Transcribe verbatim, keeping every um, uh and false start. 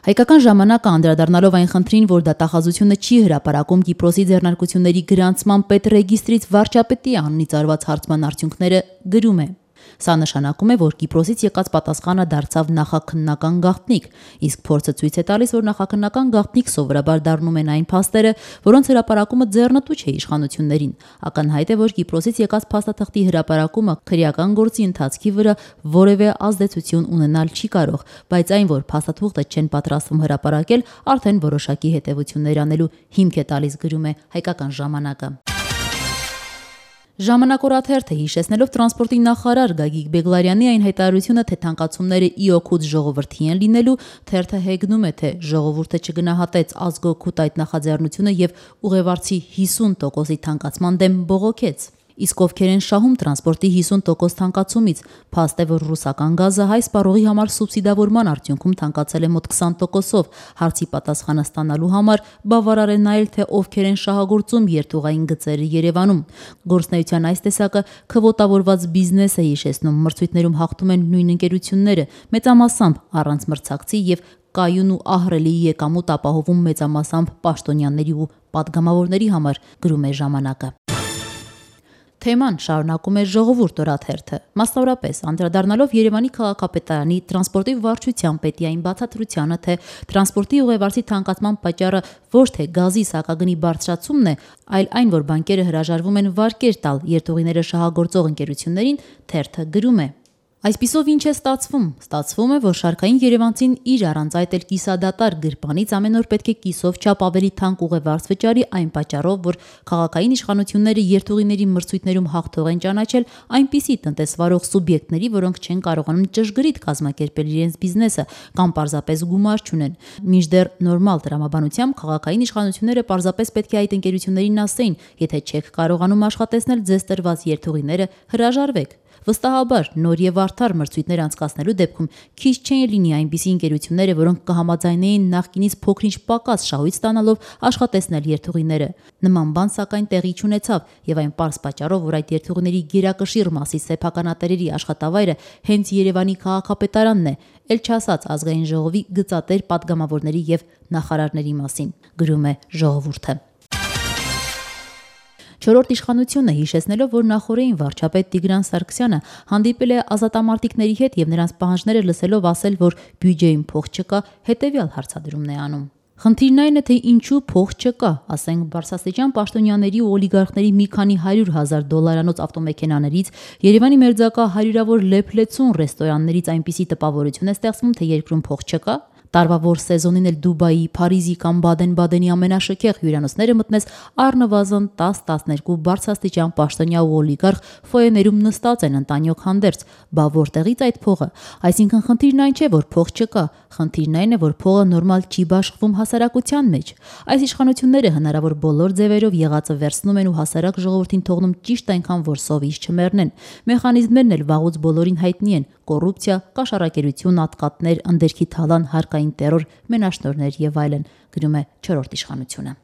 Հայկական ժամանակը անդրադառնալով այն խնդրին, որ դատախազությունը չի հրապարակում Կիպրոսի ձեռնարկությունների գրանցման պետռեգիստրից վարչապետի անունից արված հարցման արդյունքները, գրում է. Սա նշանակում է, որ Կիպրոսից եկած պատասխանը դարձավ նախաքննական գաղտնիք, իսկ փորձը ցույց է տալիս, որ նախաքննական գաղտնիք սովորաբար դառնում են այն փաստերը, որոնց հրապարակումը ձեռնտու չէ իշխանություններին։ Ակնհայտ է, որ Կիպրոսից եկած փաստաթղթի հրապարակումը քրեական գործի ընթացքի վրա որևէ ազդեցություն ունենալ չի կարող, բայց այն, որ փաստաթուղթը չեն պատրաստվում հրապարակել, արդեն որոշակի հետևություններ անելու հիմք է տալիս, գրում է Հայկական ժամանակը։ Ժամանակ օրաթերթը հիշեցնելով տրանսպորտի նախարար Գագիկ Բեգլարյանի այն հայտարարությունը, թե թանկացումները ի օգուտ ժողովրդի են լինելու, թերթը հեգնում է, թե ժողովուրդը չգնահատեց ազգօգուտ այդ նախաձեռնությունը եւ ուղևարցի հիսուն տոկոսի թանկացման դեմ բողոքեց։ Իսկ ովքեր են շահում տրանսպորտի հիսուն տոկոս թանկացումից, փաստ է, որ ռուսական գազը հայ սպառողի համար սուբսիդավորման արդյունքում թանկացել է մոտ քսան տոկոսով, հարցի պատասխանը ստանալու համար բավարար է նայել, թե ովքեր են շահագործում երթուղային գծերը Երևանում։ Գործնեության այս տեսակը քվոտավորված բիզնես է հիշեցնում, մրցույթներում հաղթում են նույն ընկերությունները, մեծամասամբ առանց մրցակցի եւ կայուն ու ահռելի եկամուտ ապահովում մեծամասամբ պաշտոնյաների ու պատգամավորների համար, գրում է ժամանակը։ Թեման շարունակում է Ժողովուրդ օրաթերթը, մասնավորապես անդրադառնալով Երևանի քաղաքապետարանի տրանսպորտի վարչության պետի այն բացատրությանը, թե տրանսպորտի ուղևարցի թանկացման պատճառը ոչ թե գազի սակագնի բարձրացումն է, այլ այն, որ բանկերը հրաժարվում են վարկեր տալ երթուղիները շահագործող ընկերություններին, թերթը գրում է. Այսպիսով ինչ է ստացվում։ Ստացվում է, որ շարքային երևանցին իր առանց այդ էլ կիսադատար գրպանից ամեն օր պետք է կիսով չափ ավելի թանկ ուղևարց վճարի այն պատճառով, որ քաղաքային իշխանությունները երթուղիների մրցույթներում հաղթող են ճանաչել այնպիսի տնտեսվարող սուբյեկտների, որոնք չեն կարողանում ճշգրիտ կազմակերպել իրենց բիզնեսը կամ պարզապես գումար չունեն։ Մինչդեռ նորմալ տրամաբանությամբ քաղաքային իշխանությունները պարզապես պետք է այդ ընկերություններին ասեին, եթե չեք կարողանում աշխատեցնել ձեզ տրված երթուղիները, հրաժարվեք։ Վստահաբար նոր եւ արդար մրցույթներ անցկացնելու դեպքում քիչ չէին լինի այնպիսի ընկերությունները, որոնք կհամաձայնեին նախկինից փոքրինչ պակաս շահույթ ստանալով աշխատեցնել երթուղիները։ Նման բան սակայն տեղի չունեցավ եւ այն պարզ պատճառով, որ այդ երթուղիների գերակշիռ մասի սեփականատերերի աշխատավայրը հենց Երևանի քաղաքապետարանն է, ել չասած ազգային ժողովի գծատեր պատգամավորների եւ նախարարների մասին, գրում է Ժողովուրդը։ Չորրորդ իշխանությունը հիշեցնելով, որ նախորդին վարչապետ Տիգրան Սարգսյանը հանդիպել է ազատամարտիկների հետ եւ նրանց պահանջները լսելով ասել, որ բյուջեին փող չկա, հետեւյալ հարցադրումն է անում. Խնդիրն այն է, թե ինչու փող չկա, ասենք բարձրաստիճան պաշտոնյաների ու օլիգարխների մի քանի հարյուր հազար դոլարանոց ավտոմեքենաներից, Երևանի մերձակա հարյուրավոր լեփլեցուն ռեստորաններից այնպիսի տպավորություն է ստեղծվում, թե երկրում փող չկա։ Տարվա որ սեզոնին էլ Դուբայի, Փարիզի կամ Բադեն-Բադենի ամենաշքեղ հյուրանոցները մտնես առնվազն տաս տասներկու բարձրաստիճան պաշտոնյա ու օլիգարխ ֆոեներում նստած են ընտանյոք հանդերձ, բա որտեղից այդ փողը։ Այսինքն խնդիրն այն չէ, որ փող չկա, խնդիրն այն է, որ փողը նորմալ չի բաշխվում հասարակության մեջ։ Այս իշխանությունները հնարավոր բոլոր ձևերով եղածը վերցնում են ու հասարակ ժողովրդին թողնում ճիշտ այնքան, որ սովից չմեռնեն։ Մեխանիզմներն էլ վաղուց բոլորին հայտնի են՝ կոռուպցիա, կաշառակերություն, ատկատներ, ընդերքի թալան, հարկային տերոր, մենաշնորհներ եւ այլն, գրում է չորրորդ իշխանությունը։